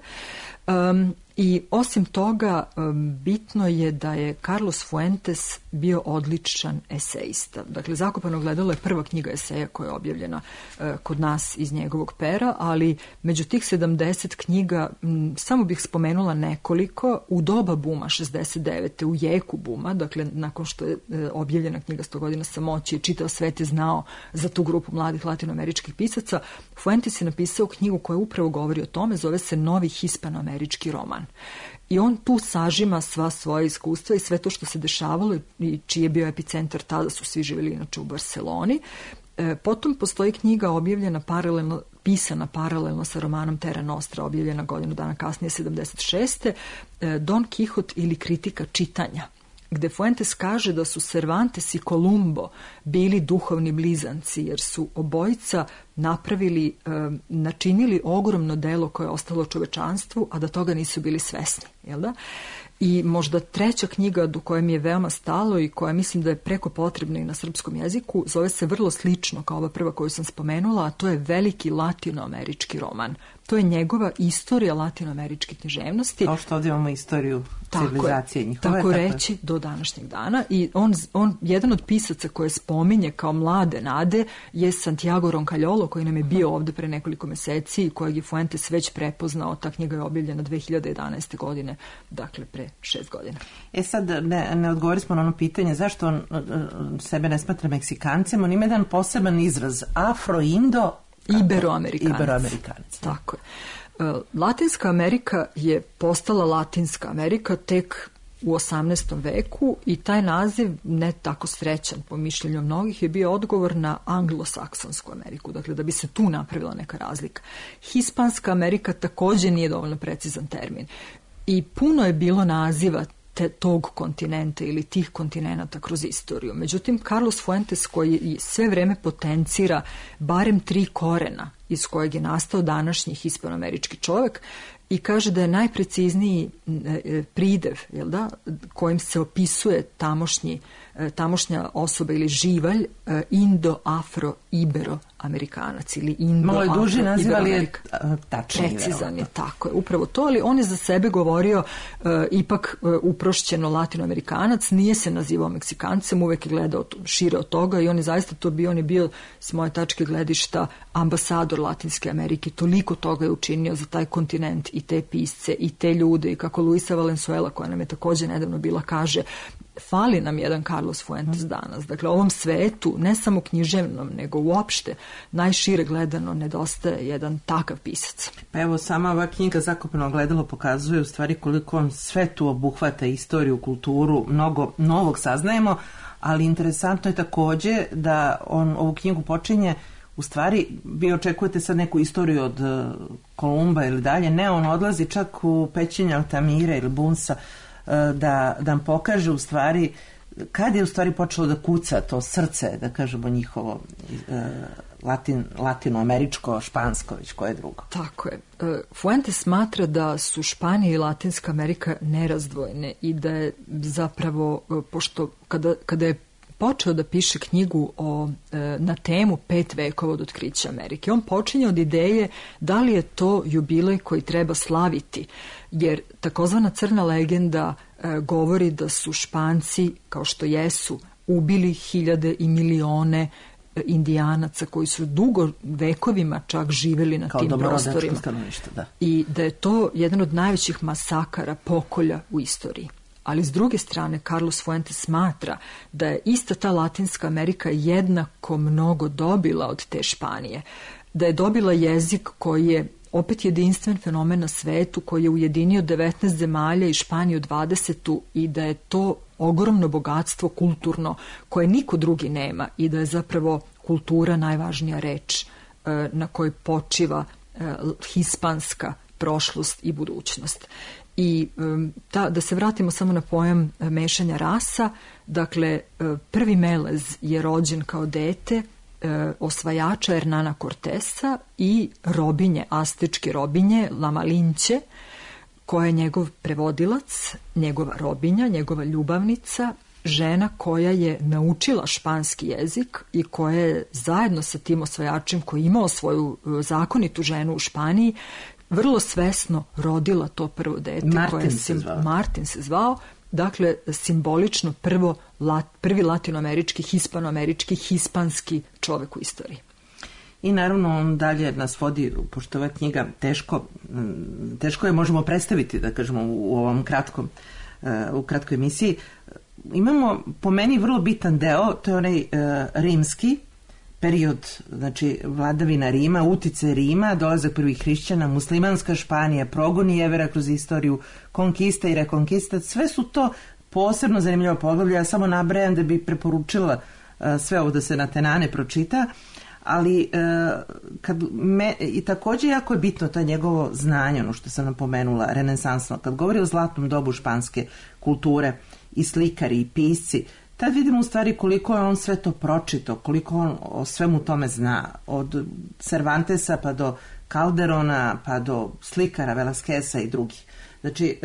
Um, I osim toga, um, bitno je da je Carlos Fuentes bio odličan esejista. Dakle, Zakopano ogledalo je prva knjiga eseja koja je objavljena uh, kod nas iz njegovog pera, ali među tih sedamdeset knjiga m, samo bih spomenula nekoliko. U doba buma šezdeset devete. u jeku buma, dakle, nakon što je uh, objavljena knjiga sto godina samoći, čitao svet je znao za tu grupu mladih latinoameričkih pisaca, Fuentes je napisao knjigu koja upravo govori o tome, zove se Novi hispanoamerički roman. I on tu sažima sva svoja iskustva i sve to što se dešavalo i čiji je bio epicentar, tada su svi živjeli inače u Barseloni. E, potom postoji knjiga objavljena paralelno, pisana paralelno sa romanom Terra Nostra, objavljena godinu dana kasnije, sedamdeset šeste. E, Don Quixote ili kritika čitanja, gde Fuentes kaže da su Cervantes i Columbo bili duhovni blizanci, jer su obojica napravili, načinili ogromno delo koje je ostalo čovečanstvu, a da toga nisu bili svesni. Jel da? I možda treća knjiga do koje mi je veoma stalo i koja mislim da je preko potrebna i na srpskom jeziku, zove se vrlo slično kao ova prva koju sam spomenula, a to je veliki latinoamerički roman. To je njegova istorija latinoameričke književnosti. Kao što ovdje imamo istoriju civilizacije njihove. Tako, tako reći do današnjeg dana. I on, on, jedan od pisaca koje spominje kao mlade nade je Santiago Roncaliolo, koji nam je bio ovdje pre nekoliko meseci i kojeg je Fuentes već prepoznao. Ta knjiga je objavljena dve hiljade jedanaeste. godine, dakle pre šest godina. E sad, ne, ne odgovorili smo na ono pitanje zašto on sebe ne smatra Meksikancem. On ima jedan poseban izraz, Afro-Indo Iberoamerikanac. Iberoamerikanac. Tako je. Latinska Amerika je postala Latinska Amerika tek u osamnaestom veku i taj naziv, ne tako srećan po mišljenju mnogih, je bio odgovor na anglosaksonsku Ameriku, dakle da bi se tu napravila neka razlika. Hispanska Amerika također nije dovoljno precizan termin i puno je bilo naziva te, tog kontinenta ili tih kontinenata kroz istoriju. Međutim, Carlos Fuentes, koji sve vreme potencira barem tri korena iz kojeg je nastao današnji hispanoamerički čovjek i kaže da je najprecizniji pridev, jel da, kojim se opisuje tamošnji, tamošnja osoba ili živalj, indo, afro, ibero, Indo-Amerikanac ili Indo-Afro. Malo je duži naziv, ali je tačnije. Precizan je, tako je, upravo to, ali on je za sebe govorio uh, ipak uh, uprošćeno Latinoamerikanac, nije se nazivao Meksikancem, uvek je gledao šire od toga i on je zaista to bio, on je bio s moje tačke gledišta ambasador Latinske Amerike, toliko toga je učinio za taj kontinent i te pisce i te ljude i kako Luisa Valenzuela, koja nam je također nedavno bila, kaže, fali nam jedan Carlos Fuentes danas. Dakle, ovom svetu, ne samo književnom, nego uopšte, najšire gledano, nedostaje jedan takav pisac. Pa evo, sama ova knjiga Zakopano ogledalo pokazuje u stvari koliko on sve tu obuhvata istoriju, kulturu, mnogo novog saznajemo, ali interesantno je također da on ovu knjigu počinje, u stvari, vi očekujete sad neku istoriju od Kolumba ili dalje, ne, on odlazi čak u pećine Altamire ili Bunsa, da, da nam pokaže u stvari kad je u stvari počelo da kuca to srce, da kažemo njihovo latin, latinoameričko, špansko, već koje drugo. Tako je. Fuentes smatra da su Španija i Latinska Amerika nerazdvojne i da je zapravo, pošto kada, kada je počeo da piše knjigu o, na temu pet vekova od otkrića Amerike. On počinje od ideje da li je to jubilej koji treba slaviti, jer takozvana crna legenda e, govori da su Španci, kao što jesu, ubili hiljade i milione Indijanaca koji su dugo vekovima čak živjeli na kao tim prostorima. Da. I da je to jedan od najvećih masakara, pokolja u istoriji. Ali s druge strane, Carlos Fuentes smatra da je ista ta Latinska Amerika jednako mnogo dobila od te Španije. Da je dobila jezik koji je opet jedinstven fenomen na svetu, koji je ujedinio devetnaest zemalja i Španiju dvadeset i da je to ogromno bogatstvo kulturno koje niko drugi nema i da je zapravo kultura najvažnija reč na kojoj počiva hispanska prošlost i budućnost. I ta, da se vratimo samo na pojam mešanja rasa, dakle prvi Melez je rođen kao dete osvajača Hernana Cortesa i robinje, astečke robinje La Malinche, koja je njegov prevodilac, njegova robinja, njegova ljubavnica, žena koja je naučila španski jezik i koja je zajedno sa tim osvajačem koji je imao svoju zakonitu ženu u Španiji vrlo svesno rodila to prvo dete. Martin, koje se, zvao. Martin se zvao. Dakle, simbolično prvo, lat, prvi latinoamerički, hispanoamerički, hispanski čovek u istoriji. I naravno on dalje nas vodi, pošto ova knjiga teško, teško je možemo predstaviti, da kažemo, u ovom kratkom, u kratkoj emisiji. Imamo po meni vrlo bitan deo, to je onaj uh, rimski period, znači vladavina Rima, utice Rima, dolazak prvih hrišćana, muslimanska Španija, progoni Jevera kroz istoriju, konkista i rekonkista, sve su to posebno zanimljivo poglavlje. Ja samo nabrajam da bi preporučila uh, sve ovo da se na tenane pročita, ali uh, kad me, i također jako je bitno to njegovo znanje, ono što sam napomenula, renesansno, kad govori o zlatnom dobu španske kulture, i slikari i pisci, tad vidimo u stvari koliko je on sve to pročito, koliko on o svemu tome zna, od Cervantesa pa do Calderona pa do slikara Velasqueza i drugih. Znači,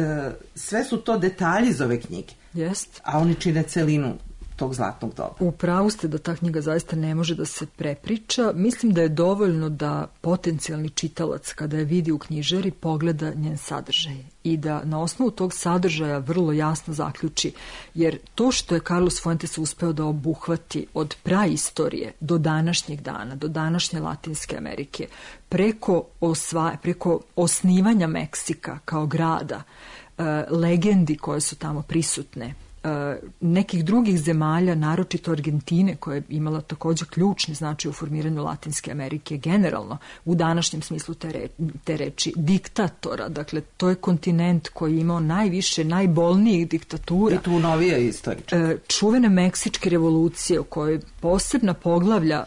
sve su to detalji iz ove knjige, Jest. A oni čine celinu tog zlatnog doba. U pravu ste da ta knjiga zaista ne može da se prepriča. Mislim da je dovoljno da potencijalni čitalac kada je vidi u knjižari pogleda njen sadržaj i da na osnovu tog sadržaja vrlo jasno zaključi, jer to što je Carlos Fuentes uspeo da obuhvati od praistorije do današnjeg dana, do današnje Latinske Amerike, preko, osva, preko osnivanja Meksika kao grada, legendi koje su tamo prisutne, nekih drugih zemalja, naročito Argentine, koja je imala također ključni značaj u formiranju Latinske Amerike generalno, u današnjem smislu te, re, te reči, diktatora. Dakle, to je kontinent koji je imao najviše, najbolnijih diktatura. I tu novije istoričke. Čuvene Meksičke revolucije, u kojoj posebna poglavlja,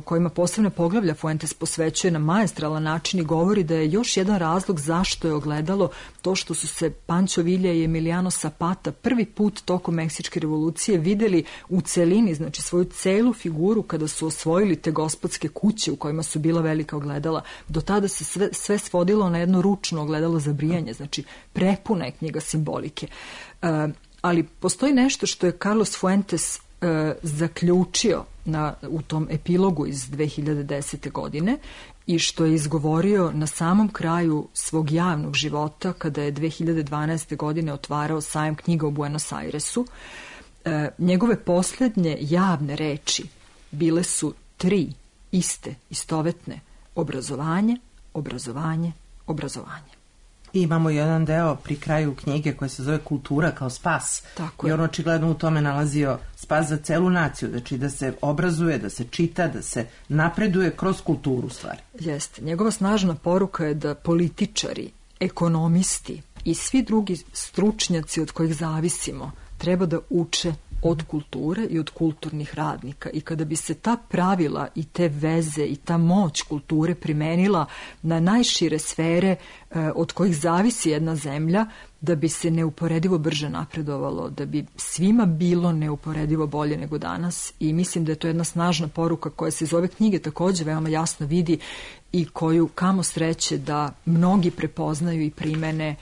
kojima posebna poglavlja Fuentes posvećuje na maestralan način i govori da je još jedan razlog zašto je ogledalo to što su se Pancho Villa i Emiliano Zapata prvi put tokom Meksičke revolucije videli u celini, znači svoju celu figuru kada su osvojili te gospodske kuće u kojima su bila velika ogledala. Do tada se sve, sve svodilo na jedno ručno ogledalo za brijanje, znači prepuna je knjiga simbolike. E, ali postoji nešto što je Carlos Fuentes e, zaključio na, u tom epilogu iz dve hiljade desete. godine i što je izgovorio na samom kraju svog javnog života kada je dve hiljade dvanaeste. godine otvarao sajam knjiga u Buenos Airesu. E, njegove posljednje javne reči bile su tri iste, istovetne: obrazovanje, obrazovanje, obrazovanje. I imamo jedan deo pri kraju knjige koja se zove Kultura kao spas. Tako I je. on očigledno u tome nalazio spas za celu naciju, znači da se obrazuje, da se čita, da se napreduje kroz kulturu stvari. Jeste. Njegova snažna poruka je da političari, ekonomisti i svi drugi stručnjaci od kojih zavisimo treba da uče od kulture i od kulturnih radnika. I kada bi se ta pravila i te veze i ta moć kulture primenila na najšire sfere e, od kojih zavisi jedna zemlja, da bi se neuporedivo brže napredovalo, da bi svima bilo neuporedivo bolje nego danas. I mislim da je to jedna snažna poruka koja se iz ove knjige takođe veoma jasno vidi i koju, kamo sreće, da mnogi prepoznaju i primene e,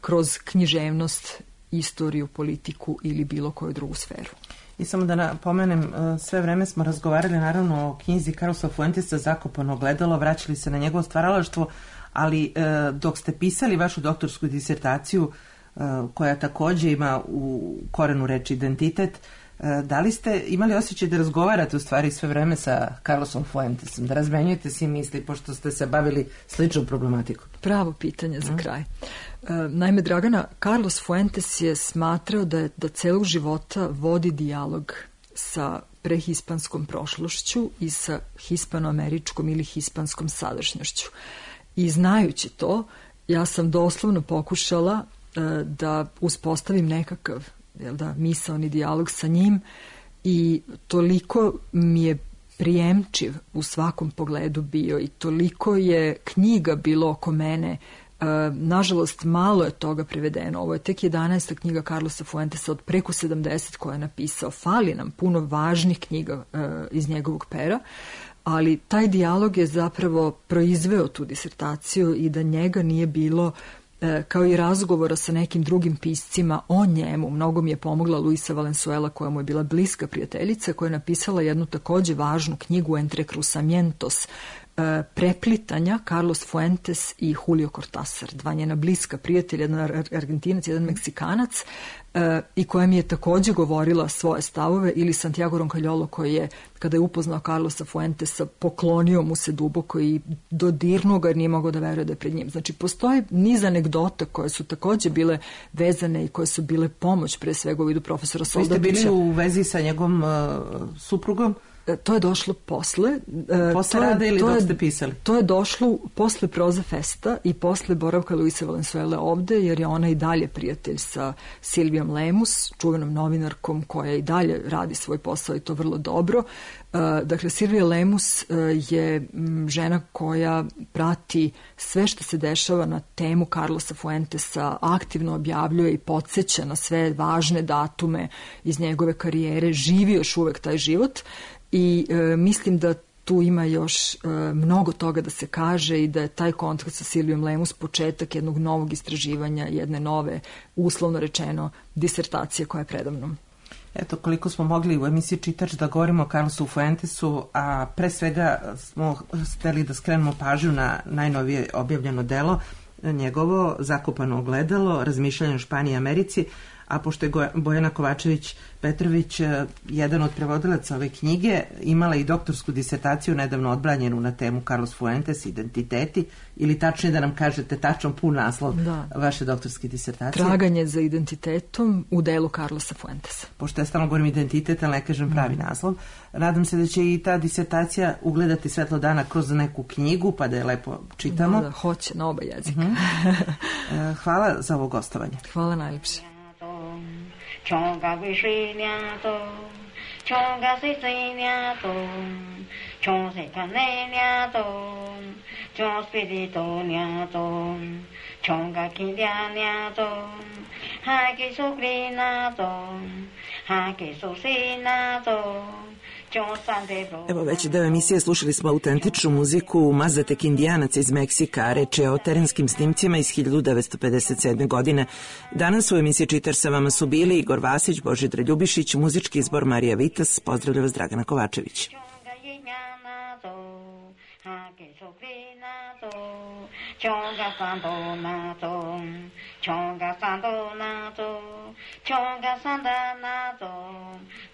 kroz književnost, istoriju, politiku ili bilo koju drugu sferu. I samo da napomenem, sve vreme smo razgovarali naravno o knjizi Carlosa Fuentesa Zakopano ogledalo, vraćali se na njegovo stvaralaštvo, ali dok ste pisali vašu doktorsku disertaciju, koja takođe ima u korenu reči identitet, da li ste imali osjećaj da razgovarate u stvari sve vreme sa Carlosom Fuentesom, da razmenjujete si misli, pošto ste se bavili sličnom problematikom? Pravo pitanje za kraj. E, naime, Dragana, Carlos Fuentes je smatrao da, je, da celog života vodi dijalog sa prehispanskom prošlošću i sa hispanoameričkom ili hispanskom sadašnjošću. I znajući to, ja sam doslovno pokušala e, da uspostavim nekakav jel da, misaoni dijalog sa njim i toliko mi je prijemčiv u svakom pogledu bio i toliko je knjiga bilo oko mene. E, nažalost, malo je toga prevedeno. Ovo je tek jedanaesta knjiga Carlosa Fuentesa od preko sedamdeset koje je napisao. Fali nam puno važnih knjiga e, iz njegovog pera, ali taj dijalog je zapravo proizveo tu disertaciju i da njega nije bilo, kao i razgovora sa nekim drugim piscima o njemu. Mnogo mi je pomogla Luisa Valenzuela, koja mu je bila bliska prijateljica, koja je napisala jednu takođe važnu knjigu Entre cruzamientos, preplitanja Carlos Fuentes i Julio Cortázar, dva njena bliska prijatelja, jedan Argentinac, jedan Meksikanac, i koja mi je takođe govorila svoje stavove, ili Santiago Roncaliolo, koji je, kada je upoznao Carlosa Fuentesa, poklonio mu se duboko i dodirnuo ga jer nije mogao da veruje da je pred njim. Znači, postoji niz anegdota koje su takođe bile vezane i koje su bile pomoć, pre svega u vidu profesora Soldatića. Vi ste bili u vezi sa njegovom uh, suprugom? To je došlo posle. Posle rada ili dok ste pisali? To je došlo posle Proza Festa i posle boravka Luisa Valenzuela ovde, jer je ona i dalje prijatelj sa Silvijom Lemus, čuvenom novinarkom koja i dalje radi svoj posao i to vrlo dobro. Dakle, Silvija Lemus je žena koja prati sve što se dešava na temu Carlosa Fuentesa, aktivno objavljuje i podsjeća na sve važne datume iz njegove karijere, živi još uvek taj život. I e, mislim da tu ima još e, mnogo toga da se kaže i da je taj kontakt sa Silvijom Lemus početak jednog novog istraživanja, jedne nove, uslovno rečeno, disertacije koja je predavnom. Eto, koliko smo mogli u emisiji Čitač da govorimo o Carlosu Fuentesu, a pre svega smo hteli da skrenemo pažnju na najnovije objavljeno delo, njegovo Zakopano ogledalo, razmišljanje o Španiji i Americi, a pošto je Bojana Kovačević-Petrović jedan od prevodilaca ove knjige, imala i doktorsku disertaciju nedavno odbranjenu na temu Carlos Fuentes, identiteti, ili tačnije da nam kažete tačan pun naslov da. vaše doktorske disertacije. Traganje za identitetom u delu Carlosa Fuentesa. Pošto ja stalno govorim identitet, ali ne kažem pravi mm. naslov. Nadam se da će i ta disertacija ugledati svetlo dana kroz neku knjigu, pa da je lepo čitamo. Da, da, hoće, na oba jezika. Mm-hmm. Hvala za ovo gostovanje. Hvala najljepše. Chonga vishiniato, chonga sisiniato, chon se caneniato, chon spiritoniato, chonga kindianiato, haki sucrinato, haki susinato, Evo već deo emisije slušali smo autentičnu muziku Mazatek Indijanaca iz Meksika, reč je o terenskim snimcima iz hiljadu devetsto pedeset sedme. godine. Danas u emisiji Čitar sa vama su bili Igor Vasić, Božidar Ljubišić, muzički izbor Marija Vitas, pozdravlja vas Dragana Kovačević. Chonga sando nato, chonga sando nato, chonga sanda nato,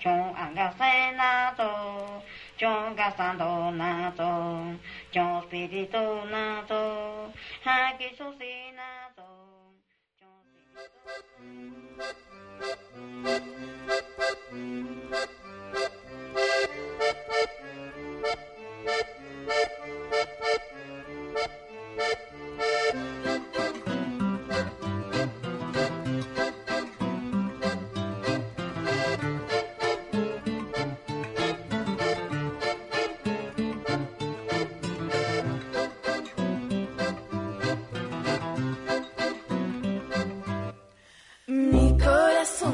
chonga se nato, chonga sando nato, chon spirito nato, haki susi nato, chon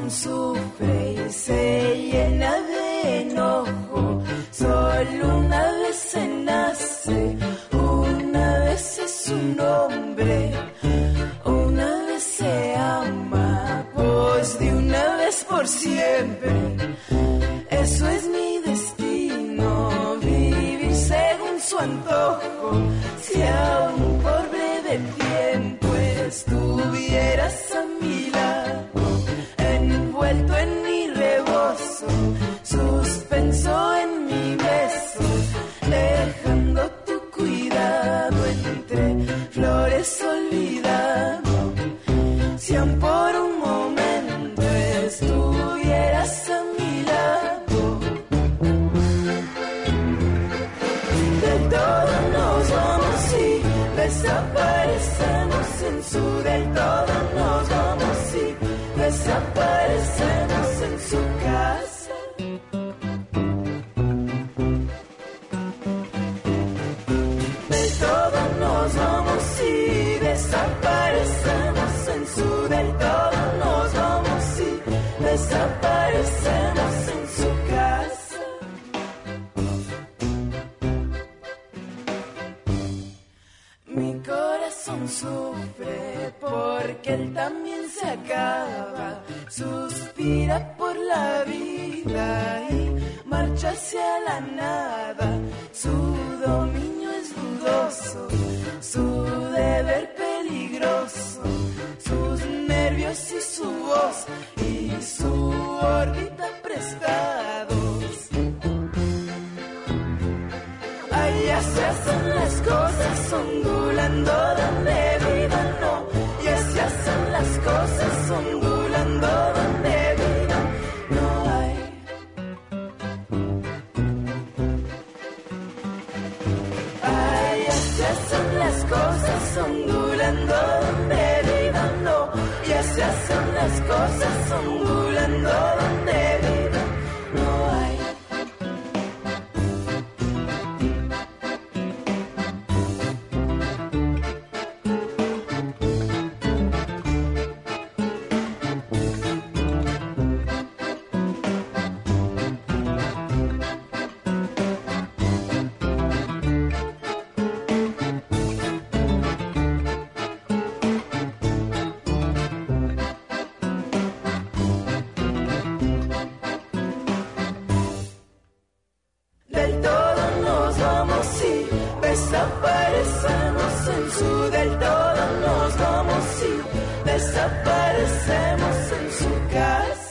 sufre y se llena de enojo, solo una vez se nace, una vez es un hombre, una vez se ama, pues de una vez por siempre, eso es mi destino, vivir según su antojo, si aún por breve tiempo estuvieras a mi lado, envuelto en mi rebozo, suspenso en mi beso, dejando tu cuidado entre flores olvidado. Si aún por un momento estuvieras a mi lado, del todo nos vamos y desaparecemos en su del todo nos vamos y desaparecemos en su casa. Del todo nos vamos y desaparecemos en su del todo nos vamos y desaparecemos en su casa. Mi corazón sufre porque él también se acaba, suspira por la vida y marcha hacia la nada. Su dominio es dudoso, su deber peligroso, sus nervios y su voz y su órbita prestados. Allá se hacen las cosas ondulando donde vivan, no. Y así hacen las cosas ondulando donde vivan, no hay. Allá se hacen las cosas ondulando donde vivan, no. Y así hacen las cosas ondulando donde vivan, no hay. Desaparecemos en su del todo nos vamos y desaparecemos en su casa.